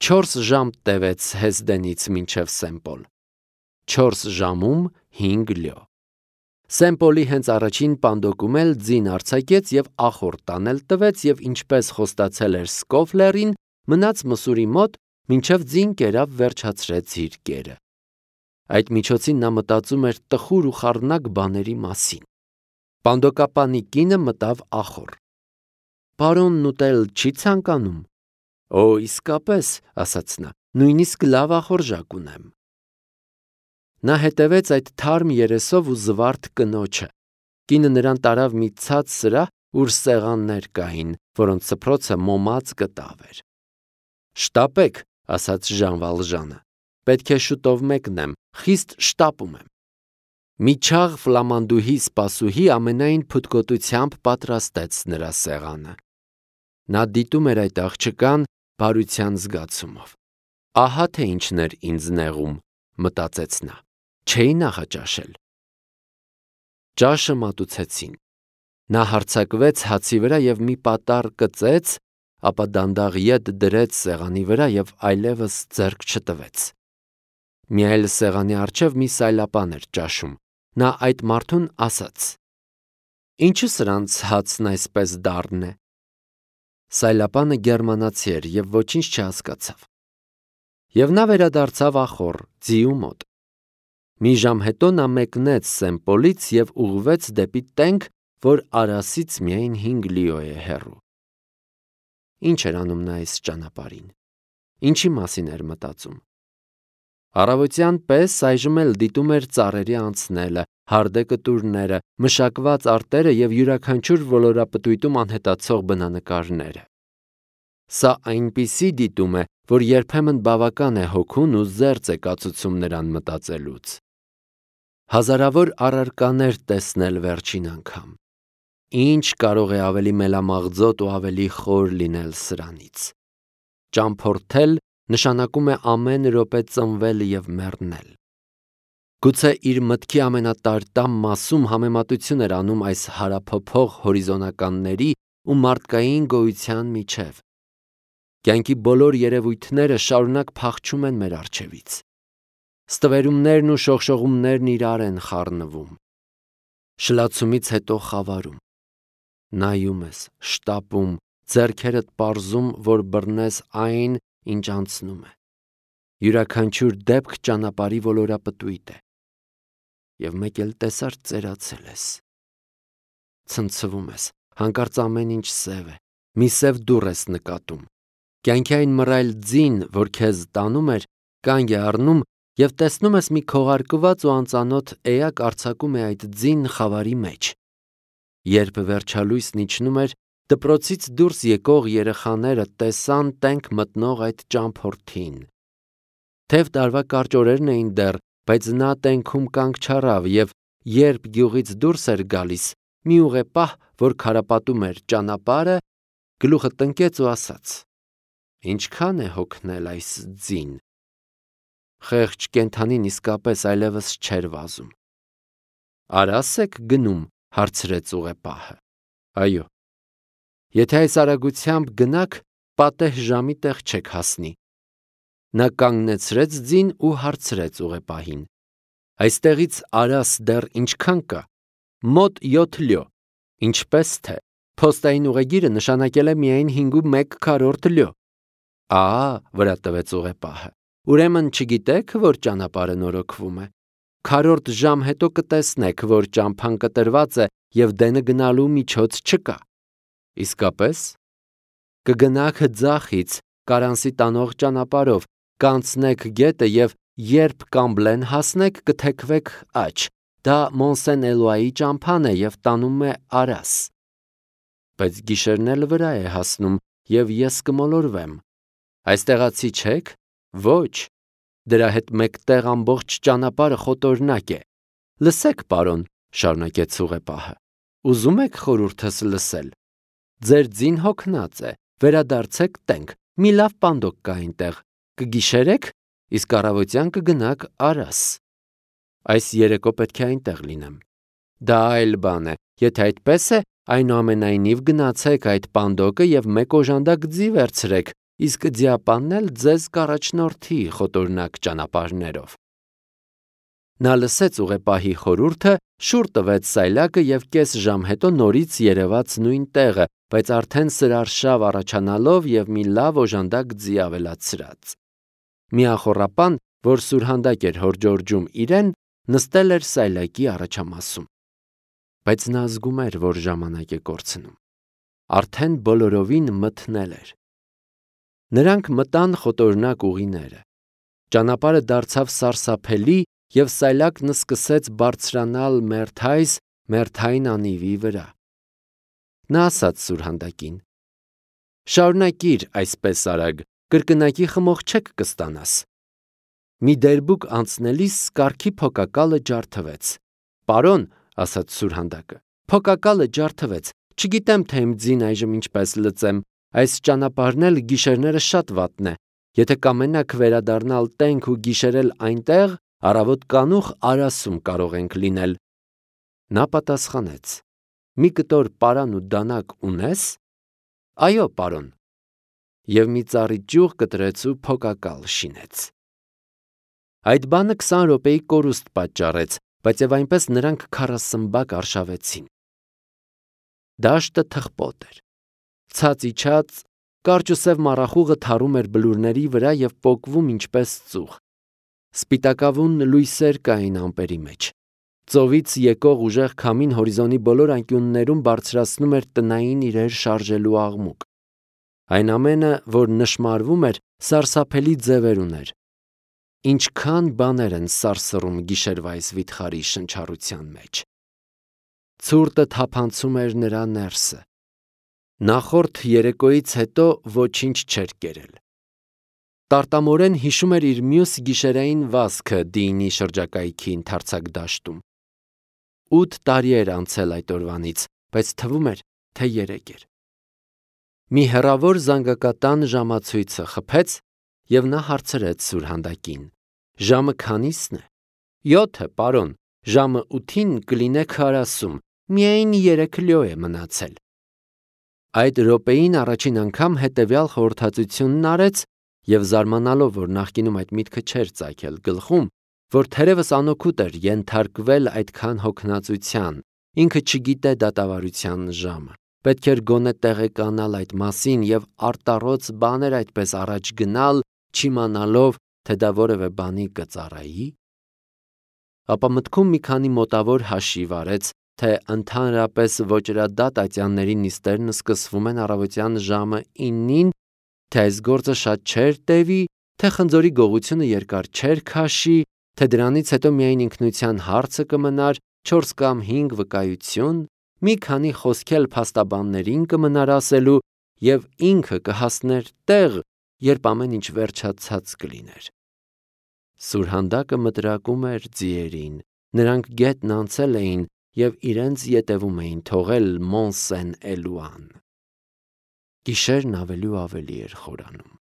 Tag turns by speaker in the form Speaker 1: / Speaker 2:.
Speaker 1: 4 ժամ տևեց Հեսդենից մինչև Սեմպոլ։ 4 ժամում 5 լյո։ Սեմպոլի հենց առաջին պանդոկում էլ ձին արձակեց և ախոր տանել տվեց և ինչպես խոստացել էր Սկոֆլերին, մնաց մսուրի մոտ, մինչև ձին կերավ վերջացրեց իր կերը։ Այդ միջոցին նա մտածում էր տխուր ու խառնակ բաների մասին։ Պանդոկապանի կինը մտավ ախոր։ «Պարոնն ուտել չի ցանկանում»։ «Օ, իսկապես», ասաց նա, «նույնիսկ լավ ախորժակ ունեմ»։ Նա հետևեց այդ թարմ երեսով ու զվարթ կնոջը։ Կինը նրան տարավ մի ցած սրահ, ուր սեղաններ կային, որոնց սփռոցը մոմած կտավ էր։ «Շտապեք», ասաց Ժան Վալժանը, «պետք է շուտով մեկնեմ, խիստ շտապում եմ»։ Մի չաղ ֆլամանդուհի սպասուհի ամենայն փութկոտությամբ պատրաստեց նրա սեղանը։ Նա դիտում էր այդ աղջկան բարության զգացումով։ Ահա թե ինչն էր ինձ նեղում, մտածեց նա, չէի նախաճաշել։ Ճաշը մատուցեցին։ Նա հարձակվեց հացի վրա և մի պատառ կծեց, ապա դանդաղ ետ դրեց սեղանի վրա և այլևս ձեռք չտվեց։ Մի այլ սեղանի առջև մի սայլապան էր ճաշում։ Նա այդ մարդուն ասաց. «Ինչու սրանց հացն այսպես դառն է»։ Սայլապանը գերմանացի էր և ոչինչ չհասկացավ։ Եվ նա վերադարձավ ախոր, ձիու մոտ։ Մի ժամ հետո նա մեկնեց Սեմպոլից և ուղղվեց դեպի տենք, որ Արասից միայն 5 լիո է հեռու։ Ինչ էր անում նա այս ճանապարհին։ Ինչի մասին էր մտածում։ Առավոտյան պես այժմ էլ դիտում էր ծառերի անցնելը, հարդե կտուրները, մշակված արտերը և յուրաքանչյուր ոլորապտույտում անհետացող բնանկարները։ Սա այնպիսի դիտում է, որ երբեմն բավական է հոգուն ու զերծ է կացուցում նրան մտածելուց։ Հազարավոր առարկաներ տեսնել վերջին անգամ։ Ինչ կարող է ավելի մելամաղձոտ ու ավելի խոր լինել սրանից։ Ճամփորդել նշանակում է ամեն րոպե ծնվել և մեռնել։ Գուցե իր մտքի ամենատարտամ մասում համեմատություն էր անում այս հարափոփող հորիզոնականների ու մարդկային գոյության միջև։ Կյանքի բոլոր երևույթները շարունակ փախչում են մեր առջևից։ Ստվերումներն ու շողշողումներն իրար են խառնվում։ Շլացումից հետո խավարում։ Նայում ես, շտապում, ձեռքերդ պարզում, որ բռնես այն, ինչ անցնում է։ Յուրաքանչյուր դեպք ճանապարհի ոլորապտույտ է։ Եվ մեկ էլ տեսար ծերացել ես։ Ցնցվում ես, հանկարծ ամեն ինչ սև է, մի սև դուռ ես նկատում։ Կյանքի այն մռայլ ձին, որ քեզ տանում էր, կանգ է առնում և տեսնում ես մի քողարկված ու անծանոթ էակ արձակում է այդ ձին խավարի մեջ։ Երբ վերջալույսն իջնում էր, դպրոցից դուրս եկող երեխաները տեսան տենք մտնող այդ ճամփորդին։ Թև տարվա կարճ օրերն էին դեռ, բայց նա տենքում կանգ չառավ և երբ գյուղից դուրս էր գալիս, մի ուղեպահ, որ քարապատում էր ճանապարհը, գլուխը տնկեց ու ասաց. «Ինչքան է հոգնել այս ձին»։ Խեղճ կենդանին իսկապես այլևս չէր վազում։ «Արաս եք գնում», հարցրեց ուղեպահը։ «Այո»։ «Եթե այս արագությամբ գնաք, պատեհ ժամի տեղ չեք հասնի»։ Նա կանգնեցրեց ձին ու հարցրեց ուղեպահին. «Այստեղից Արաս դեռ ինչքան կա»։ «Մոտ 7 լյո»։ «Ինչպես թե»։ «Փոստային ուղեգիրը նշանակել է միայն 5.1 լյո»։ «Ահա», վրա տվեց ուղեպահը, «ուրեմն չգիտեք, որ ճանապարհը նորոգվում է։ Քառորդ ժամ հետո կտեսնեք, որ ճամփան կտրված է և դենը գնալու միջոց չկա»։ «Իսկապես»։ «Կգնաք ձախից, Կարանսի տանող ճանապարհով, կանցնեք գետը և երբ Կամբլեն հասնեք, կթեքվեք աջ, դա Մոնսեն-Էլոայի ճամփան է և տանում է Արաս»։ «Բայց գիշերն էլ վրա է հասնում, և ես կմոլորվեմ»։ «Այստեղացի չե՞ք»։ «Ոչ»։ «Դրա հետ մեկտեղ ամբողջ ճանապարհը խոտորնակ է»։ «Լսեք, պարոն», շարունակեց ուղեպահը, «ուզում եք խորհուրդս լսել։ Ձեր ձին հոգնած է, վերադարձեք տենք, մի լավ պանդոկ կա այնտեղ, կգիշերեք, իսկ առավոտյան կգնաք Արաս»։ «Այս երեկո պետք է այնտեղ լինեմ»։ «Դա այլ բան է, եթե այդպես է, այնուամենայնիվ գնացեք այդ պանդոկը և մեկ օժանդակ ձի վերցրեք, իսկ ձիապանն էլ ձեզ կառաջնորդի խոտորնակ ճանապարհներով։ Նա լսեց ուղեպահի խորհուրդը, շուռ տվեց սայլակը և կես ժամ հետո նորից երևաց նույն տեղը, բայց արդեն սրարշավ առաջանալով և մի լավ օժանդակ ձի ավելացրած։ Մի ախոռապան, որ սուրհանդակ էր հորջորջում իրեն, նստել էր սայլակի առաջամասում։ Բայց նա զգում էր, որ ժամանակ է կորցնում։ Արդեն բոլորովին մթնել էր։ Նրանք մտան խոտորնակ ուղիները։ Ճանապարհը դարձավ սարսափելի և սայլակն սկսեց բարձրանալ մերթային անիվի վրա։ Նա ասաց սուրհանդակին. «Շարունակիր այսպես արագ, կրկնակի խմող չեք կստանաս»։ Մի դերբուկ անցնելիս կառքի փոկակալը ջարդվեց։ «Պարոն», ասաց սուրհանդակը, «փոկակալը ջարդվեց, չգիտեմ, թե իմ ձին այժմ ինչպես լծեմ, այս ճանապարհն էլ գիշերները շատ վատն է, եթե կամենաք վերադառնալ տենք ու գիշերել այնտեղ, առավոտ կանուխ Արասում կարող ենք լինել»։ Նա պատասխանեց. «Մի կտոր պարան ու դանակ ունես»։ «Այո, պարոն»։ Եվ մի ծառի ճյուղ կտրեց ու փոկակալ շինեց։ Այդ բանը 20 րոպեի կորուստ պատճառեց, բայց և այնպես նրանք 40 արշավեցին։ Դաշտը թխպոտ էր։ Ցած իջած, կարճ ու սև մառախուղը թառում էր բլուրների վրա և պոկվում ինչպես ծուխ։ Սպիտակավուն լույսեր կային ամպերի մեջ։ Ծովից եկող ուժեղ քամին հորիզոնի բոլոր անկյուններում բարձրացնում էր տնային իրեր շարժելու աղմուկ։ Այն ամենը, որ նշմարվում էր, սարսափելի ձևեր ուներ։ Ինչքան բաներ են սարսռում գիշերվա այս վիթխարի շնչառության մեջ։ Ցուրտը թափանցում էր նրա ներսը։ Նախորդ երեկոյից հետո ոչինչ չէր կերել։ Տարտամորեն հիշում էր իր մյուս գիշերային վազքը Դեյնի շրջակայքի ընդարձակ դաշտում։ 8 տարի էր անցել այդ օրվանից, բայց թվում էր, թե 3 էր։ Մի հեռավոր զանգակատան ժամացույցը խփեց, և նա հարցրեց սուրհանդակին. «Ժամը քանի՞սն է»։ «7, պարոն, ժամը 8-ին կլինեք Արասում, միայն 3 լյո է մնացել»։ Այդ րոպեին առաջին անգամ հետևյալ խորհրդածությունն արեց և զարմանալով, որ նախկինում այդ միտքը չէր ծագել գլխում, որ թերևս անօգուտ էր ենթարկվել այդքան հոգնածության, ինքը չգիտե դատավարության ժամը, պետք էր գոնե տեղեկանալ այդ մասին և արտառոց բաներ այդպես առաջ գնալ, չիմանալով, թե դա որևէ բանի կծառայի։ Ապա մտքում մի քանի մոտավոր հաշիվ արեց, թե ընդհանրապես ոճրադատ ատյանների նիստերն սկսվում են առավոտյան ժամը 9-ին, թե այս գործը շատ չէր տևի, թե խնձորի գողությունը երկար չէր քաշի, թե դրանից հետո միայն ինքնության հարցը կմնար, 4 կամ 5 վկայություն, մի քանի խոսք էլ փաստաբաններին կմնար ասելու, և ինքը կհասներ տեղ, երբ ամեն ինչ վերջացած կլիներ։ Սուրհանդակը մտրակում էր ձիերին, նրանք գետն անցել էին և իրենց ետևում էին թողել Մոն Սեն Էլուան։ Գիշերն ավելի ու ավելի էր խորանում։